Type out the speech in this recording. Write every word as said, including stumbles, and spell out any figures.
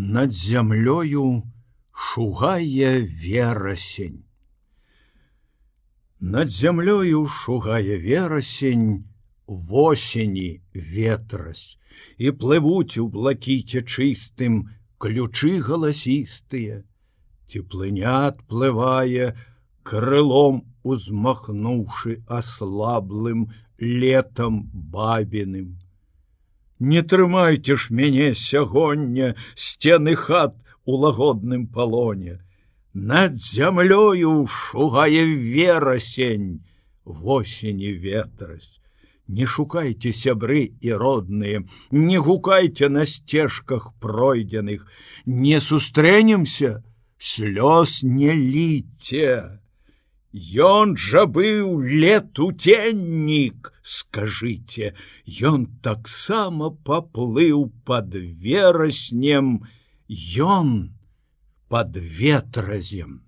Над зямлёю шугае верасень. Над зямлёю шугае верасень, восені ветрась, і плывуць у блакіце чыстым ключы галасістыя. Теплыня адплывае, крылом узмахнуўшы аслаблым летам бабіным. Не трымайце ж мяне сягоння, сцены хат у лагодным палоне. Над зямлёю шугае верасень, восені ветрась. Не шукайце, сябры і родныя, не гукайце на сцежках пройдзеных, не сустрэнемся, слёз не ліце. Ён жа быў летуценнік, скажыце, ён таксама паплыў пад вераснем, ён пад ветразем.